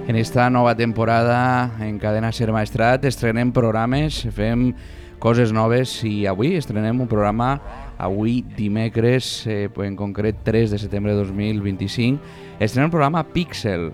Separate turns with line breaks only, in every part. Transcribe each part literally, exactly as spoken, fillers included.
En esta nova temporada en Cadena Ser Maestrat estrenem programes, fem coses noves i avui estrenem un programa, avui dimecres, eh, en concret tres de setembre de dos mil vint-i-cinc, estrenem el programa Píxel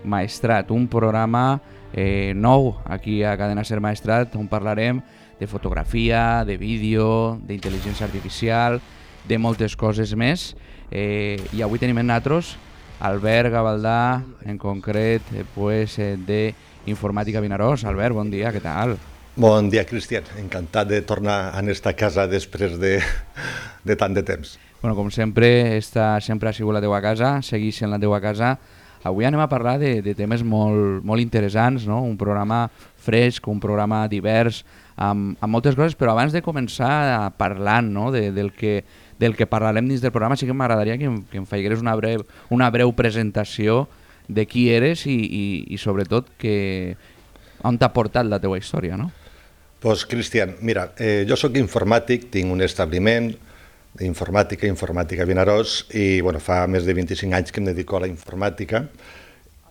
Maestrat, un programa eh, nou aquí a Cadena Ser Maestrat on parlarem de fotografia, de vídeo, d'intel·ligència artificial, de moltes coses més. Eh, I avui tenim en nosaltres Albert Gavaldà, en concret, eh, pues, eh, de Informàtica Vinaròs. Albert, bon dia, què tal?
Bon dia, Cristian. Encantat de tornar a esta casa després de, de tant de temps.
Bueno, com sempre, esta sempre ha sigut la teua casa, segueix sent la teua casa. Avui anem a parlar de, de temes molt, molt interessants, no? Un programa fresc, un programa divers, amb, amb moltes coses, però abans de començar parlant, no? de, del, que, del que parlarem dins del programa, sí que m'agradaria que, em, que em faigueres una breu, una breu presentació de qui eres i, i, i sobretot que, on t'ha portat la teua història, no?
Pues, Cristian, mira, eh, jo sóc informàtic, tinc un establiment d'informàtica, Informàtica Vinaròs, i bueno, fa més de vint-i-cinc anys que em dedico a la informàtica,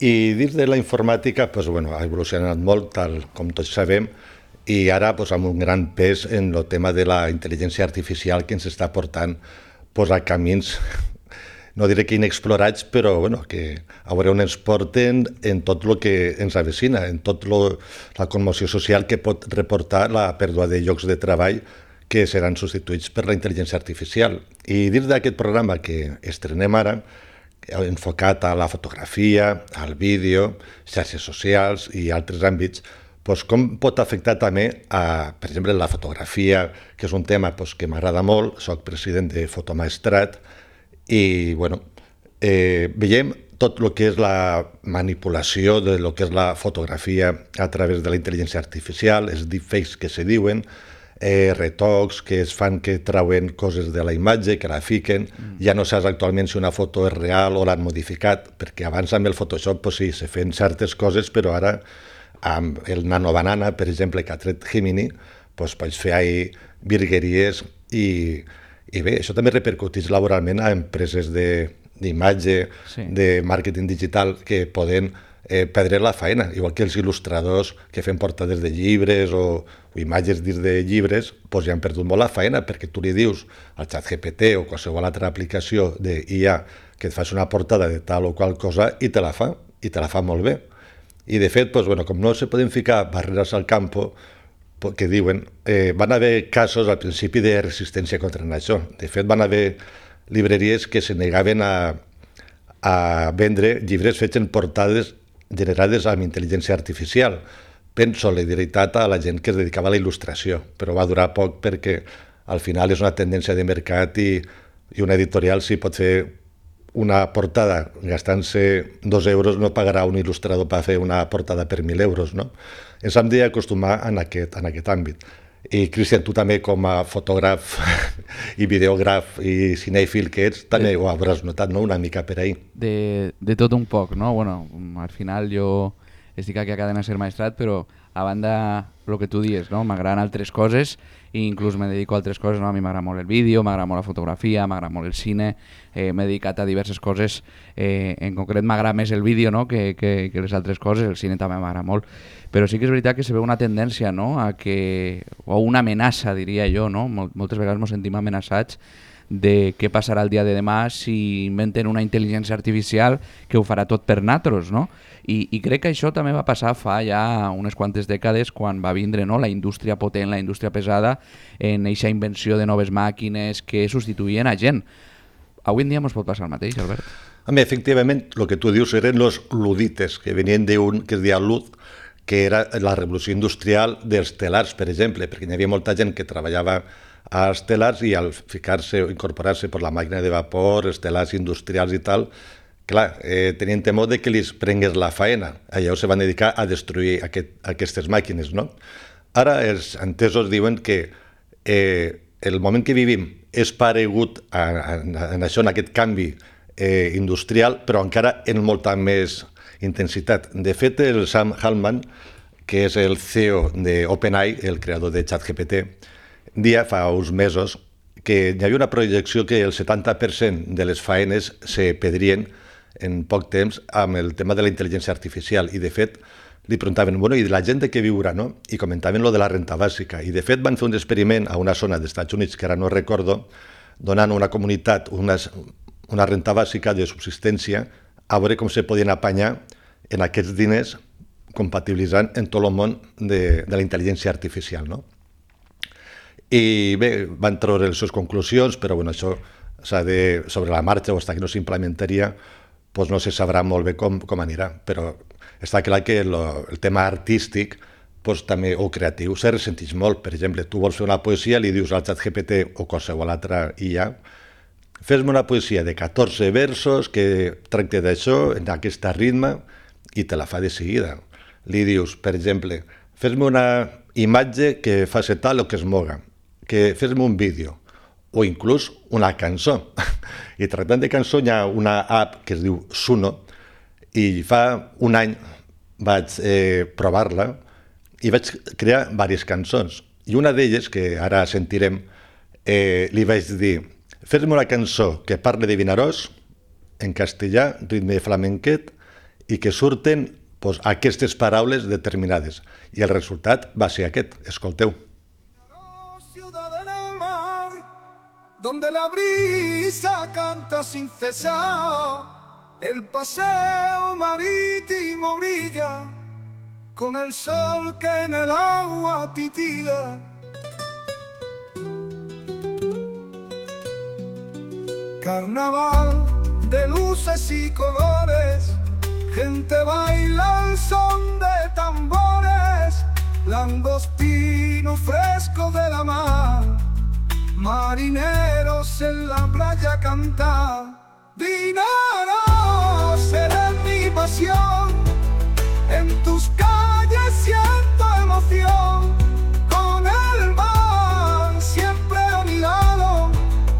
i dins de la informàtica pues, bueno, ha evolucionat molt, tal com tots sabem, i ara pues, amb un gran pes en el tema de la intel·ligència artificial que ens està portant pues, a camins, no diré que inexplorats, però bueno, que a veure on ens porten en tot el que ens avecina, en tot lo, la commoció social que pot reportar la pèrdua de llocs de treball que seran substituïts per la intel·ligència artificial. I dins d'aquest programa que estrenem ara, enfocat a la fotografia, al vídeo, xarxes socials i altres àmbits, doncs com pot afectar també, a, per exemple, la fotografia, que és un tema doncs, que m'agrada molt, soc president de Fotomaestrat, i bueno, eh, veiem tot el que és la manipulació de lo que és la fotografia a través de la intel·ligència artificial, els deepfakes que se diuen, eh, retocs que es fan que trauen coses de la imatge, que la fiquen, mm. ja no saps actualment si una foto és real o l'han modificat, perquè abans amb el Photoshop pues, sí, se feien certes coses, però ara amb el Nano Banana, per exemple, que ha tret Gemini, pues, pots fer ahí virgueries i, i bé, això també repercuteix laboralment a empreses d'imatge, sí. de màrqueting digital, que poden eh, perdre la feina, igual que els il·lustradors que fem portades de llibres o, o imatges dins de llibres, doncs ja han perdut molt la feina, perquè tu li dius al ChatGPT o qualsevol altra aplicació d'I A que et faci una portada de tal o qual cosa i te la fa, i te la fa molt bé. I de fet, doncs, bueno, com no se poden ficar barreres al campo, que diuen, eh, van haver casos al principi de resistència contra això. De fet, van haver llibreries que se negaven a, a vendre llibres fets en portades generades amb intel·ligència artificial. En solidaritat a la gent que es dedicava a la il·lustració, però va durar poc perquè al final és una tendència de mercat i, i una editorial, si pot fer una portada gastant-se dos euros, no pagarà un il·lustrador per fer una portada per mil euros, no? Ens hem d'acostumar en aquest, en aquest àmbit. I, Cristian, tu també com a fotògraf i videògraf i cinèfil que ets, també ho hauràs notat, no?, una mica per ahí.
De, de tot un poc, no? Bueno, al final jo estic aquí a Cadena Ser Maestrat, però a banda el que tu dius, no? M'agraden altres coses i inclús me dedico a altres coses, no? A mi m'agrada molt el vídeo, m'agrada molt la fotografia, m'agrada molt el cine, eh, m'he dedicat a diverses coses, eh, en concret m'agrada més el vídeo, no? que, que, que les altres coses, el cine també m'agrada molt, però sí que és veritat que se veu una tendència, no? A que, o una amenaça, diria jo, no? Moltes vegades ens sentim amenaçats de què passarà el dia de demà si inventen una intel·ligència artificial que ho farà tot per natros, no? I, i crec que això també va passar fa ja unes quantes dècades quan va vindre, no? La indústria potent, la indústria pesada, en aquesta invenció de noves màquines que substituïen a gent. Avui en dia ens pot passar el mateix, Albert?
A mi, efectivament, el que tu dius eren els ludites, que venien d'un que es deia Lud, que era la revolució industrial dels telars, per exemple, perquè hi havia molta gent que treballava als telars i al ficar-se o incorporar-se per la màquina de vapor, els telars industrials i tal, clar, eh, tenien temor de que li prengués la faena. Llavors se van dedicar a destruir aquest, aquestes màquines, no? Ara els entesos diuen que eh, el moment que vivim és paregut a, a, a això, en aquest canvi eh, industrial, però encara en molta més intensitat. De fet, el Sam Altman, que és el C E O d'OpenAI, el creador de ChatGPT, dia fa uns mesos que hi havia una projecció que el setanta per cent de les faenes se perdrien en poc temps amb el tema de la intel·ligència artificial i de fet li preguntaven, bueno, i la gent de què viurà, no? I comentaven lo de la renta bàsica i de fet van fer un experiment a una zona dels Estats Units que ara no recordo, donant a una comunitat una, una renta bàsica de subsistència a veure com se podien apanyar en aquests diners compatibilitzant en tot el món de, de la intel·ligència artificial, no? I bé, van treure les seves conclusions, però bueno, això s'ha de, sobre la marxa o fins que no s'implementaria, doncs no se sabrà molt bé com, com anirà, però està clar que lo, el tema artístic doncs, també, o creatiu se ressenteix molt. Per exemple, tu vols fer una poesia, li dius al ChatGPT o qualsevol altra I A, fes-me una poesia de catorze versos que tracte d'això, en aquest ritme, i te la fa de seguida. Li dius, per exemple, fes-me una imatge que faci tal o que es moga, que fes-me un vídeo, o inclús una cançó. I tractant de cançó hi ha una app que es diu Suno, i fa un any vaig eh, provar-la i vaig crear diverses cançons. I una d'elles, que ara sentirem, eh, li vaig dir, fes-me una cançó que parli de Vinaròs, en castellà, ritme flamenquet, i que surten pues, aquestes paraules determinades. I el resultat va ser aquest. Escolteu.
Ciudad en el mar, donde la brisa canta sin cesar, el paseo marítimo brilla con el sol que en el agua titila. Carnaval de luces y colores, gente baila al son de tambores, langostino fresco de la mar, marineros en la playa cantar. Vinaròs, eres mi pasión, en tus calles siento emoción, con el mar siempre a mi lado,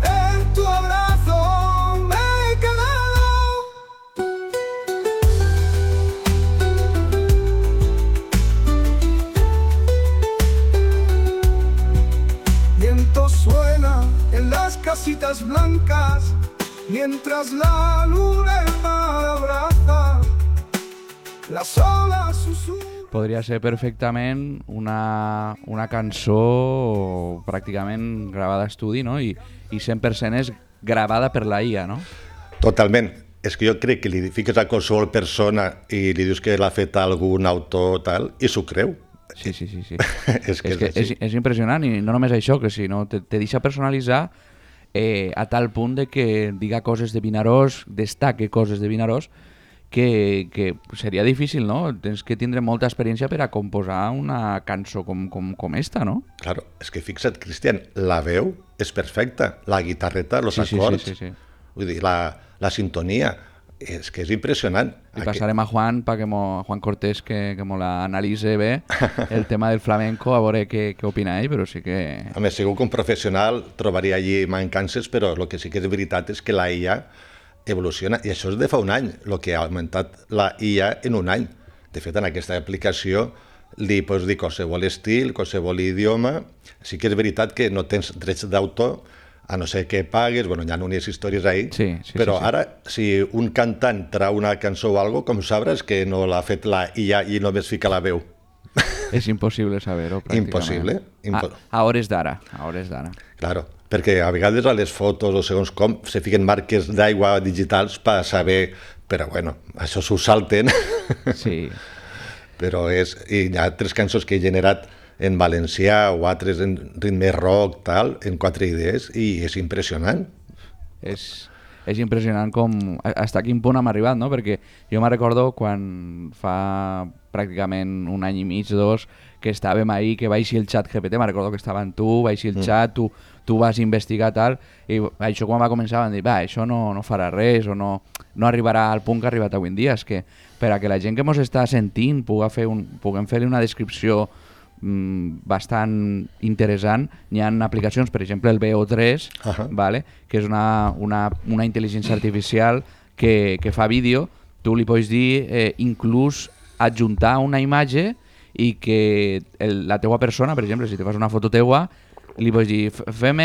en tu abrazo me he quedado. Viento suena en las casitas blancas, mientras la luna el mar abraza, las olas susurran.
Podria ser perfectament una, una cançó pràcticament gravada a estudi, no? I, i cent per cent és gravada per la I A, no?
Totalment. És que jo crec que li fiques a qualsevol persona i li dius que l'ha fet algun autor tal, i s'ho creu.
Sí, sí, sí. sí.
és que
és,
és,
que és, és impressionant, i no només això, que sinó te, te deixa personalitzar eh, a tal punt de que diga coses de Vinaròs, destaque coses de Vinaròs, que, que seria difícil, no? Tens que tindre molta experiència per a composar una cançó com, com, com esta, no?
Claro, és que fixa't, Cristian, la veu és perfecta, la guitarreta, els
sí, sí,
acords,
sí, sí, sí.
Vull dir, la, la sintonia, és que és impressionant.
I passarem a Juan, pa que mo, a Juan Cortés, que, que mo l'analitze bé, el tema del flamenco, a veure què, què opina ell, però sí que...
A més, segur que un professional trobaria allí mancances, però el que sí que és veritat és que la I A evoluciona, i això és de fa un any, el que ha augmentat la I A en un any. De fet, en aquesta aplicació li pots dir qualsevol estil, qualsevol idioma. Sí que és veritat que no tens drets d'autor, a no ser que pagues, bueno, hi ha unes històries ahí,
sí, sí,
però
sí, sí.
ara, si un cantant trau una cançó o alguna cosa, com sabràs que no l'ha fet la I A i només fica la veu?
És impossible saber-ho, pràcticament.
Impossible. Impo
a, a hores d'ara, a hores d'ara.
Claro, perquè a vegades a les fotos o segons com se fiquen marques d'aigua digitals per saber, però bueno, això s'ho salten.
Sí.
Però és, i hi ha altres cançons que he generat en valencià o altres en ritme rock, tal, en quatre idees, i és impressionant.
És, és impressionant com, fins a quin punt hem arribat, no? Perquè jo me recordo quan fa pràcticament un any i mig, dos, que estàvem ahí, que vaig el xat G P T, me recordo que estaven tu, vaig el xat, tu, tu vas investigar tal, i això quan va començar van dir, va, això no, no farà res, o no, no arribarà al punt que ha arribat avui en dia. És que per a que la gent que ens està sentint puga fer un, puguem fer una descripció bastant interessant, hi ha aplicacions, per exemple el V O tres, uh-huh. vale? Que és una, una, una intel·ligència artificial que, que fa vídeo, tu li pots dir eh, inclús adjuntar una imatge i que el, la teua persona, per exemple, si te fas una foto teua, li pots dir, fem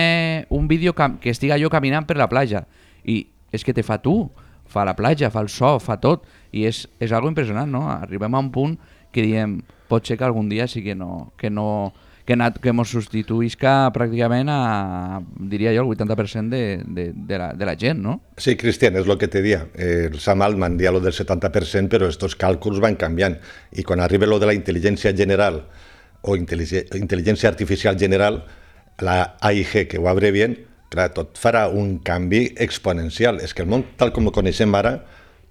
un vídeo que estiga jo caminant per la platja, i és que te fa tu fa la platja, fa el so, fa tot, i és, és algo impressionant, no? Arribem a un punt que diem, pot ser que algun dia sí que no, que no, que, nat, que mos substituïsca pràcticament a, diria jo, el vuitanta per cent de, de, de, la, de la gent, no?
Sí, Cristian, és el que te dia. Eh, el Sam Altman dia lo del setanta per cent, però estos càlculs van canviant. I quan arriba lo de la intel·ligència general o intel·ligència artificial general, la A I G, que ho abrevien, clar, tot farà un canvi exponencial. És que el món, tal com el coneixem ara,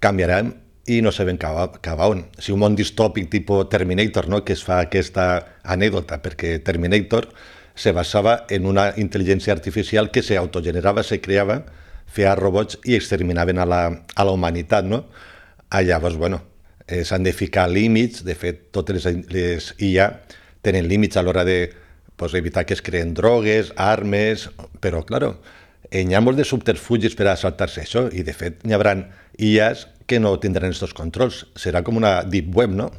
canviarà i no sabem cap, cap a on. Si un món distòpic tipus Terminator, no?, que es fa aquesta anècdota, perquè Terminator se basava en una intel·ligència artificial que s'autogenerava, se creava, feia robots i exterminaven a la, a la humanitat, no? Ah, llavors, bueno, eh, s'han de ficar límits. De fet, totes les, les I A tenen límits a l'hora de pues, evitar que es creen drogues, armes, però, claro, eh, hi ha molts de subterfugis per a saltar-se això, i de fet hi haurà I As que no tindran aquests controls. Serà com una deep web, no?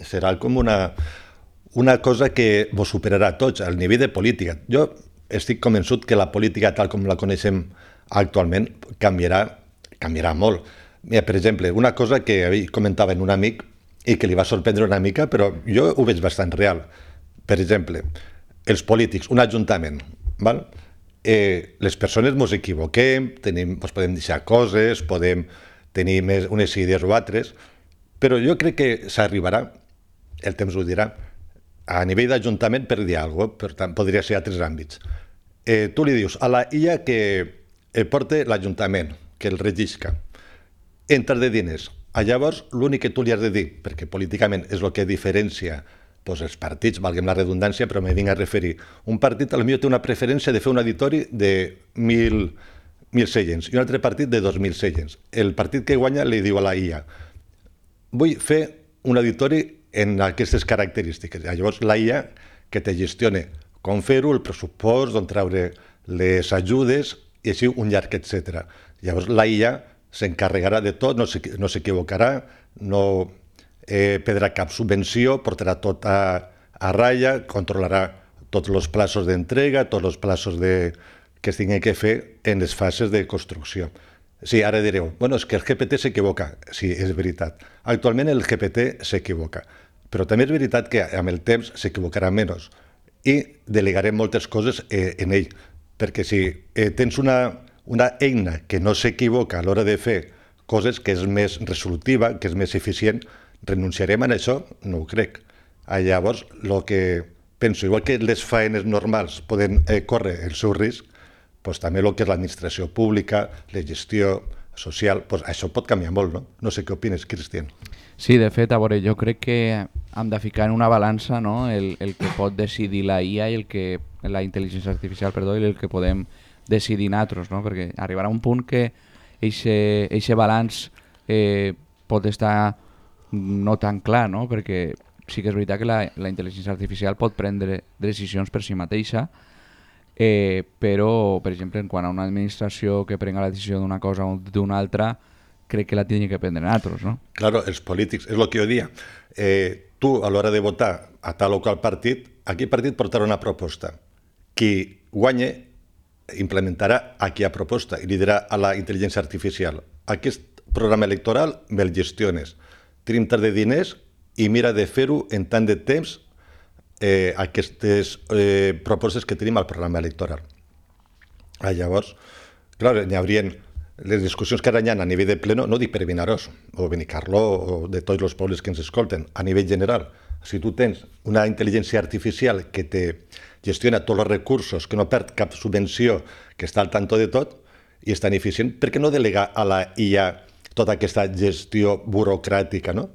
Serà com una, una cosa que vos superarà a tots, al nivell de política. Jo estic convençut que la política tal com la coneixem actualment canviarà, canviarà molt. Mira, per exemple, una cosa que comentava en un amic i que li va sorprendre una mica, però jo ho veig bastant real. Per exemple, els polítics, un ajuntament, val? Eh, les persones ens equivoquem, tenim, doncs podem deixar coses, podem tenir més unes idees o altres, però jo crec que s'arribarà, el temps ho dirà, a nivell d'ajuntament per dir alguna cosa, per tant, podria ser a altres àmbits. Eh, tu li dius a la I A que el porta l'Ajuntament, que el regisca, entra de diners. A llavors, l'únic que tu li has de dir, perquè políticament és el que diferencia pues, els partits, valguem la redundància, però me vinc a referir. Un partit potser té una preferència de fer un auditori de mil, mil seients i un altre partit de dos mil seients. El partit que guanya li diu a la I A vull fer un auditori en aquestes característiques. Llavors la I A que te gestione com fer-ho, el pressupost, d'on treure les ajudes i així un llarg, etcètera. Llavors la I A s'encarregarà de tot, no s'equivocarà, no eh, perdrà cap subvenció, portarà tot a, a ratlla, controlarà tots els plaços d'entrega, tots els plaços de, que es tinguin que fer en les fases de construcció. Sí, ara direu, bueno, és que el G P T s'equivoca. Sí, és veritat. Actualment el G P T s'equivoca, però també és veritat que amb el temps s'equivocarà menys i delegarem moltes coses eh, en ell, perquè si eh, tens una, una eina que no s'equivoca a l'hora de fer coses, que és més resolutiva, que és més eficient, renunciarem a això? No ho crec. Ah, llavors, el que penso, igual que les faenes normals poden eh, córrer el seu risc, doncs també el que és l'administració pública, la gestió social, doncs això pot canviar molt, no? No sé què opines, Cristian.
Sí, de fet, a veure, jo crec que hem de ficar en una balança, no?, el, el que pot decidir la I A i el que la intel·ligència artificial, perdó, i el que podem decidir nosaltres, no? Perquè arribarà un punt que aquest balanç eh, pot estar no tan clar, no? Perquè sí que és veritat que la, la intel·ligència artificial pot prendre decisions per si mateixa, eh, però, per exemple, en quant a una administració que prenga la decisió d'una cosa o d'una altra, crec que la tindria que prendre nosaltres, no?
Claro, els polítics, és el que jo dia. Eh, tu, a l'hora de votar a tal o qual partit, aquell partit portarà una proposta. Qui guanye implementarà aquella proposta i li dirà a la intel·ligència artificial aquest programa electoral me'l gestiones. Tenim tant de diners i mira de fer-ho en tant de temps eh, aquestes eh, propostes que tenim al programa electoral. Ah, llavors, clar, hi haurien les discussions que ara hi ha a nivell de pleno, no dic per Vinaròs o Benicarló o de tots els pobles que ens escolten, a nivell general. Si tu tens una intel·ligència artificial que te gestiona tots els recursos, que no perd cap subvenció, que està al tanto de tot i és tan eficient, per què no delegar a la I A tota aquesta gestió burocràtica, no?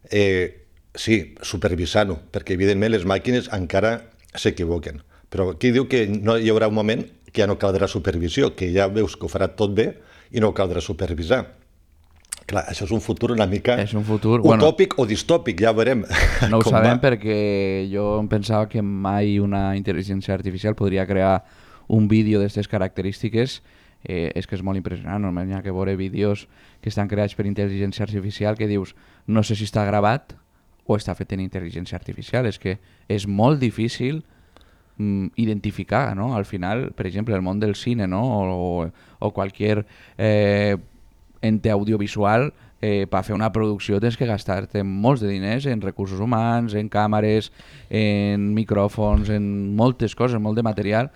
Eh, sí, supervisant-ho, perquè evidentment les màquines encara s'equivoquen. Però aquí diu que no hi haurà un moment que ja no caldrà supervisió, que ja veus que ho farà tot bé i no caldrà supervisar. Clar, això és un futur una mica
és un futur,
utòpic
bueno,
o distòpic, ja veurem.
No ho sabem va. Perquè jo em pensava que mai una intel·ligència artificial podria crear un vídeo d'aquestes característiques. Eh, és que és molt impressionant, només hi ha que veure vídeos que estan creats per intel·ligència artificial que dius, no sé si està gravat o està fet en intel·ligència artificial. És que és molt difícil mm, identificar, no? Al final, per exemple, el món del cine, no? o, o qualsevol eh, ente audiovisual, eh, per fer una producció tens que gastar-te molts de diners en recursos humans, en càmeres, en micròfons, en moltes coses, molt de material,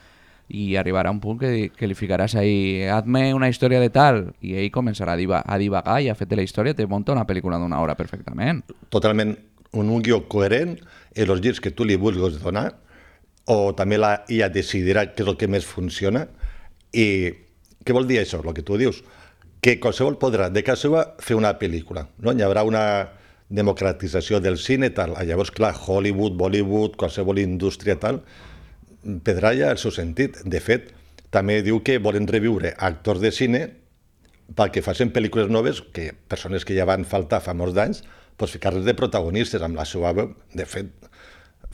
i arribarà un punt que, que li ficaràs ahí, hazme una història de tal, i ell començarà a, diva, a divagar i a fer-te la història, te munta una pel·lícula d'una hora perfectament.
Totalment un, un guió coherent en els girs que tu li vulguis donar, o també la I A decidirà què és el que més funciona. I què vol dir això, el que tu dius? Que qualsevol podrà de casa seva fer una pel·lícula, no? Hi haurà una democratització del cine, tal. Llavors, clar, Hollywood, Bollywood, qualsevol indústria, tal, pedralla el seu sentit. De fet, també diu que volen reviure actors de cine perquè facin pel·lícules noves, que persones que ja van faltar fa molts d'anys, doncs ficar-les de protagonistes amb la seva veu. De fet,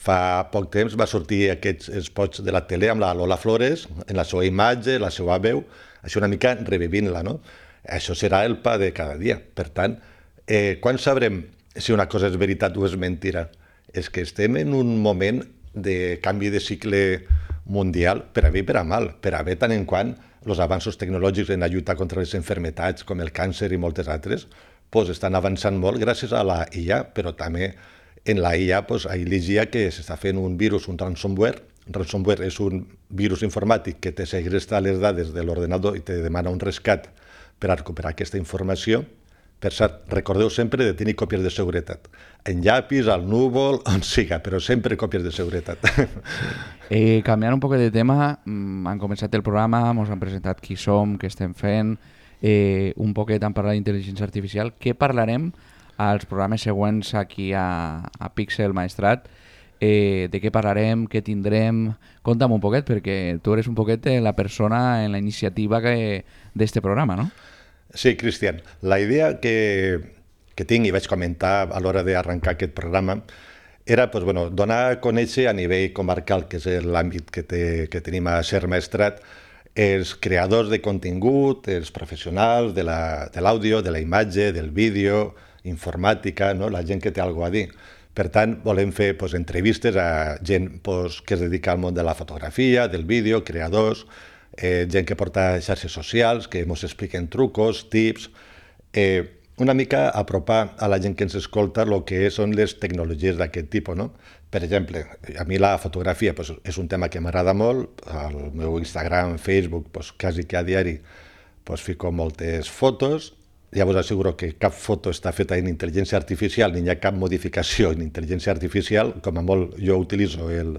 fa poc temps va sortir aquests spots de la tele amb la Lola Flores, en la seva imatge, la seva veu, això una mica revivint-la, no? Això serà el pa de cada dia. Per tant, eh, quan sabrem si una cosa és veritat o és mentira? És que estem en un moment de canvi de cicle mundial, per a bé i per a mal. Per a bé, tant en quant els avanços tecnològics en la lluita contra les malalties com el càncer i moltes altres pues, estan avançant molt gràcies a la I A, però també en la I A pues, ahir llegia que s'està fent un virus, un ransomware. Ransomware és un virus informàtic que te segresta les dades de l'ordenador i te demana un rescat per a recuperar aquesta informació. Per cert, recordeu sempre de tenir còpies de seguretat. En llapis, al núvol, on siga, però sempre còpies de seguretat.
Eh, canviant un poc de tema, han començat el programa, ens han presentat qui som, què estem fent, eh, un poquet han parlat d'intel·ligència artificial. Què parlarem als programes següents aquí a, a Pixel Maestrat? Eh, de què parlarem, què tindrem? Conta'm un poquet, perquè tu eres un poquet la persona en la iniciativa d'este programa, no?
Sí, Cristian. La idea que, que tinc i vaig comentar a l'hora d'arrencar aquest programa era pues, bueno, donar a conèixer a nivell comarcal, que és l'àmbit que, te, que tenim a Ser Maestrat, els creadors de contingut, els professionals de l'àudio, de, de la imatge, del vídeo, informàtica, no? La gent que té alguna cosa a dir. Per tant, volem fer pues, entrevistes a gent pues, que es dedica al món de la fotografia, del vídeo, creadors, eh, gent que porta xarxes socials, que ens expliquen trucos, tips, eh, una mica apropar a la gent que ens escolta el que són les tecnologies d'aquest tipus, no? Per exemple, a mi la fotografia pues, és un tema que m'agrada molt, al meu Instagram, Facebook, pues, quasi que a diari pues, fico moltes fotos. Ja us asseguro que cap foto està feta en intel·ligència artificial, ni hi ha cap modificació en intel·ligència artificial. Com a molt jo utilitzo el,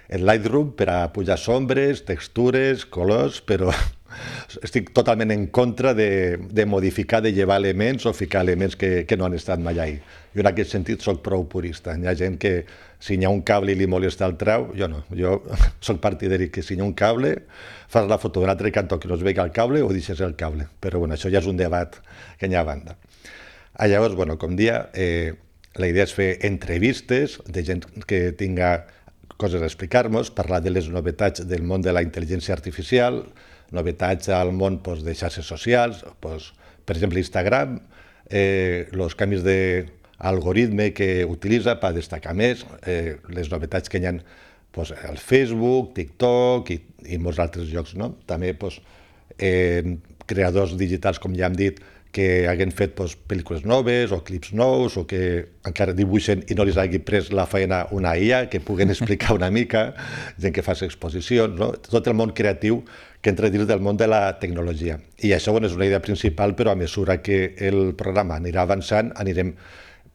el Lightroom per a pujar sombres, textures, colors, però estic totalment en contra de, de modificar, de llevar elements o ficar elements que, que no han estat mai ahí. Jo en aquest sentit soc prou purista. Hi ha gent que si hi ha un cable i li molesta el trau, jo no. Jo soc partidari que si hi ha un cable, fas la foto d'un altre cantó que no es vegi el cable o deixes el cable. Però bueno, això ja és un debat que hi ha a banda. Ah, llavors, bueno, com dia, eh, la idea és fer entrevistes de gent que tinga coses a explicar-nos, parlar de les novetats del món de la intel·ligència artificial, novetats al món pues, de xarxes socials, pues, per exemple Instagram, eh, els canvis d'algoritme que utilitza per destacar més, eh, les novetats que hi ha pues, al Facebook, TikTok i, i molts altres llocs. No? També pues, eh, creadors digitals, com ja hem dit, que hagin fet pues, pel·lícules noves o clips nous o que encara dibuixen i no els hagi pres la feina una I A, que puguen explicar una mica, gent que fa exposicions, no? Tot el món creatiu que entra dins del món de la tecnologia. I això bueno, és una idea principal, però a mesura que el programa anirà avançant, anirem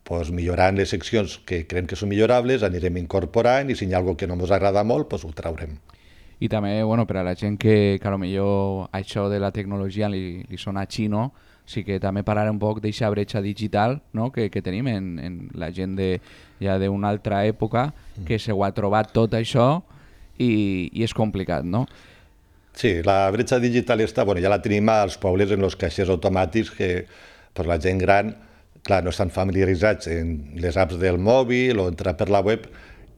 pues, millorant les seccions que creiem que són millorables, anirem incorporant i si hi ha alguna cosa que no ens agrada molt, pues, ho traurem.
I també, bueno, per a la gent que, que potser això de la tecnologia li, li sona xino, sí que també parlar un poc d'aquesta bretxa digital, no? que, que tenim en, en la gent de, ja d'una altra època que se ho ha trobat tot això i, i és complicat, no?
Sí, la bretxa digital està, bueno, ja la tenim als pobles en els caixers automàtics que per la gent gran, clar, no estan familiaritzats en les apps del mòbil o entrar per la web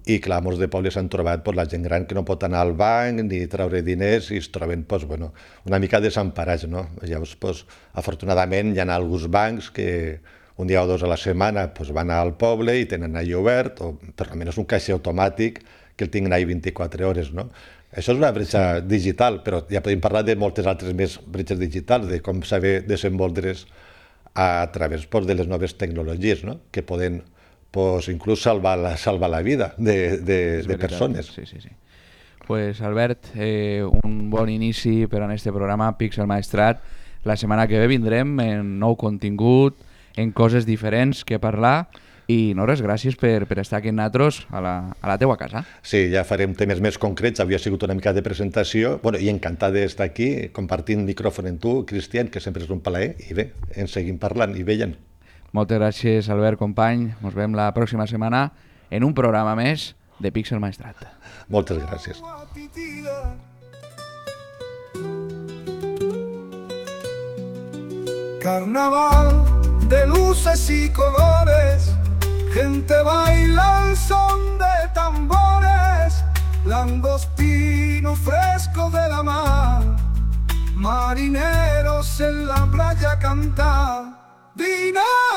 i clar, molts de pobles s'han trobat pues, la gent gran que no pot anar al banc ni treure diners i es troben pues, bueno, una mica desemparats. No? Llavors, pues, afortunadament, hi ha alguns bancs que un dia o dos a la setmana pues, van al poble i tenen allà obert, o per almenys un caixer automàtic que el tinguin allà vint-i-quatre hores. No? Això és una bretxa digital, però ja podem parlar de moltes altres més bretxes digitals, de com saber desenvolupar-les a través pues, de les noves tecnologies, no? Que poden pues, inclús salvar la, salvar la vida de, de, de persones.
Sí, sí, sí. Pues Albert, eh, un bon inici per a este programa Pixel Maestrat. La setmana que ve vindrem en nou contingut, en coses diferents que parlar, i no res, gràcies per, per estar aquí amb nosaltres a la, a la teua casa.
Sí, ja farem temes més concrets, havia sigut una mica de presentació, bueno, i encantat d'estar aquí compartint micròfon amb tu, Cristian, que sempre és un plaer, i bé, ens seguim parlant i veient.
Moltes gràcies, Albert, company. Ens veiem la pròxima setmana en un programa més de Pixel Maestrat.
Moltes gràcies.
Carnaval de luces y colores, gente baila al son de tambores, langostino fresco de la mar, marineros en la playa cantar. Dinar